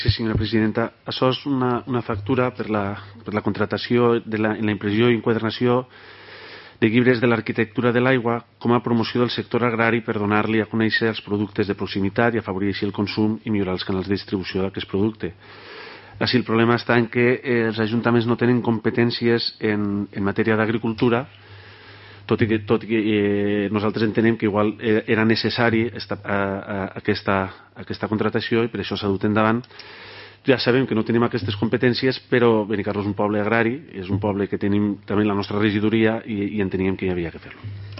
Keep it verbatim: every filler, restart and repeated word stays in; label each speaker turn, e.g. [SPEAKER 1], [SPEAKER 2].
[SPEAKER 1] Sí, senyora presidenta. Això és una, una factura per la, per la contratació de la, en la impressió i enquadernació de llibres de l'arquitectura de l'aigua com a promoció del sector agrari per donar-li a conèixer els productes de proximitat i afavorir així el consum i millorar els canals de distribució d'aquest producte. Així, el problema està en que eh, els ajuntaments no tenen competències en, en matèria d'agricultura, tot i que, tot i que eh, nosaltres entenem que igual era necessari esta, a, a, aquesta, aquesta contratació i per això s'ha dut endavant. Ja sabem que no tenim aquestes competències, però Benicarló és un poble agrari, és un poble que tenim també la nostra regidoria i, i enteníem que hi havia que fer-lo.